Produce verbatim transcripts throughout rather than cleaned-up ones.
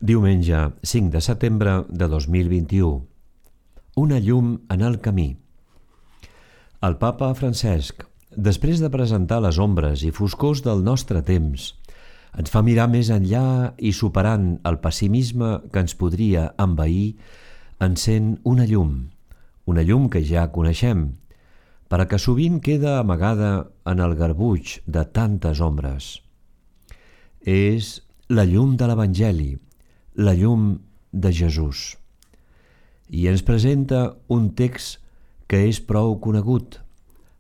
Diumenge cinc de setembre de dos mil vint-i-u. Una llum en el camí. El papa Francesc, després de presentar les ombres i foscors del nostre temps, ens fa mirar més enllà i, superant el pessimisme que ens podria envair, encén una llum, una llum que ja coneixem, però que sovint queda amagada en el garbuix de tantes ombres. És la llum de l'Evangeli, la llum de Jesús. I ens presenta un text que és prou conegut,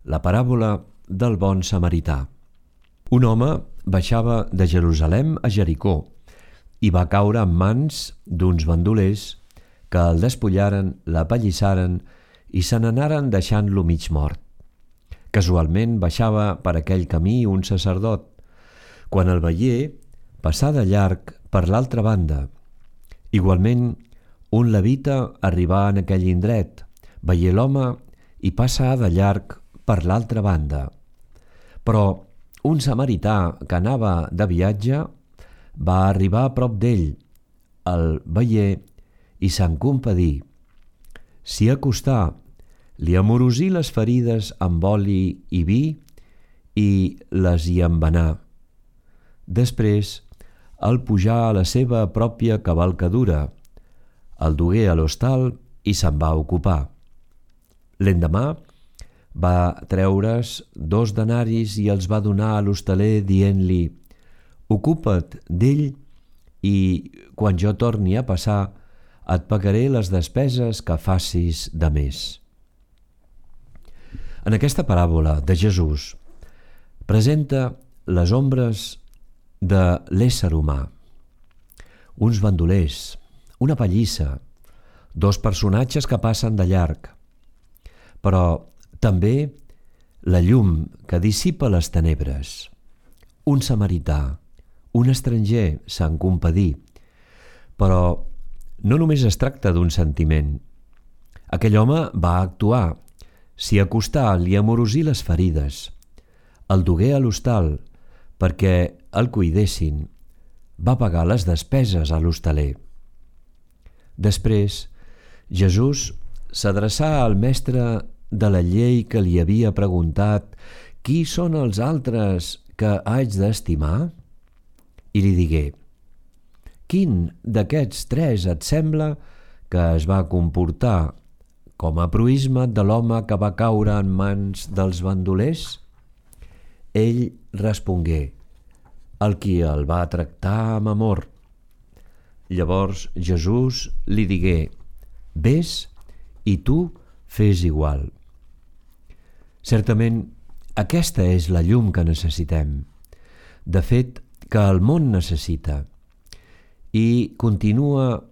la paràbola del bon samarità. Un home baixava de Jerusalem a Jericó i va caure en mans d'uns bandolers que el despullaren, l'apallissaren i se n'anaren deixant-lo mig mort. Casualment baixava per aquell camí un sacerdot. Quan el veié, passà de llarg per l'altra banda. Igualment, un levita arribà en aquell indret, veié l'home i passà de llarg per l'altra banda. Però un samarità que anava de viatge va arribar a prop d'ell, el veié i se'n compadí. S'hi acostà, li amorosí les ferides amb oli i vi i les hi embenà. Després el pujà a la seva pròpia cavalcadura, el dugué a l'hostal i se'n va ocupar. L'endemà va treure's dos denaris i els va donar a l'hostaler dient-li: «Ocupa't d'ell i, quan jo torni a passar, et pagaré les despeses que facis de més». En aquesta paràbola de Jesús presenta les ombres de l'ésser humà. Uns bandolers, una pallissa, dos personatges que passen de llarg, però també la llum que dissipa les tenebres. Un samarità, un estranger, se'n compadí, però no només es tracta d'un sentiment. Aquell home va actuar, s'hi acostà, li amorosí les ferides, el dugué a l'hostal perquè el cuidessin, va pagar les despeses a l'hostaler. Després, Jesús s'adreçà al mestre de la llei que li havia preguntat «Qui són els altres que haig d'estimar?» i li digué: «Quin d'aquests tres et sembla que es va comportar com a proïsme de l'home que va caure en mans dels bandolers?» Ell respongué: «El qui el va tractar amb amor». Llavors Jesús li digué: «Ves i tu fes igual». Certament, aquesta és la llum que necessitem, de fet, que el món necessita. I continua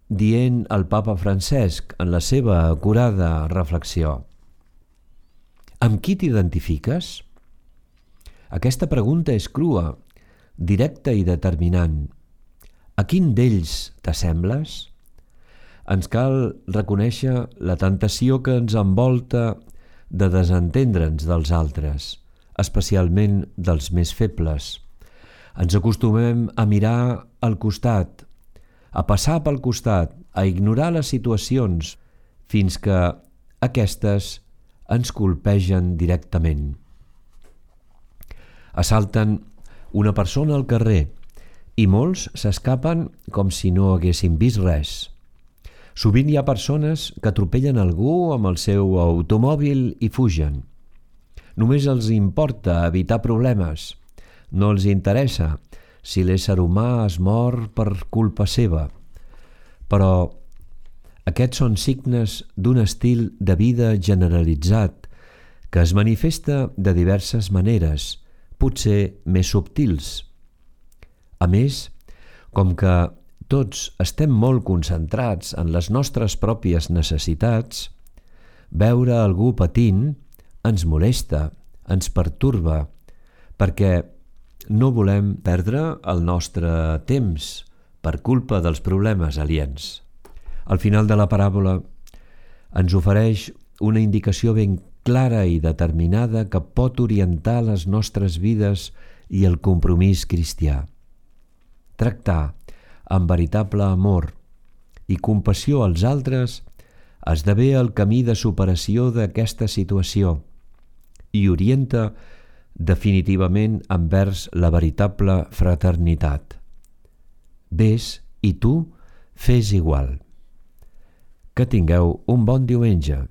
dient el papa Francesc en la seva acurada reflexió: «Amb qui t'identifiques?» Aquesta pregunta és crua, directa i determinant. A quin d'ells t'assembles? Ens cal reconèixer la tentació que ens envolta de desentendre'ns dels altres, especialment dels més febles. Ens acostumem a mirar al costat, a passar pel costat, a ignorar les situacions, fins que aquestes ens colpegen directament. Assalten una persona al carrer i molts s'escapen com si no haguessin vist res. Sovint hi ha persones que atropellen algú amb el seu automòbil i fugen. Només els importa evitar problemes. No els interessa si l'ésser humà es mor per culpa seva. Però aquests són signes d'un estil de vida generalitzat que es manifesta de diverses maneres, potser més subtils. A més, com que tots estem molt concentrats en les nostres pròpies necessitats, veure algú patint ens molesta, ens pertorba, perquè no volem perdre el nostre temps per culpa dels problemes aliens. Al final de la paràbola ens ofereix una indicació ben clara i determinada que pot orientar les nostres vides i el compromís cristià. Tractar amb veritable amor i compassió als altres esdevé el camí de superació d'aquesta situació i orienta definitivament envers la veritable fraternitat. Ves i tu fes igual. Que tingueu un bon diumenge.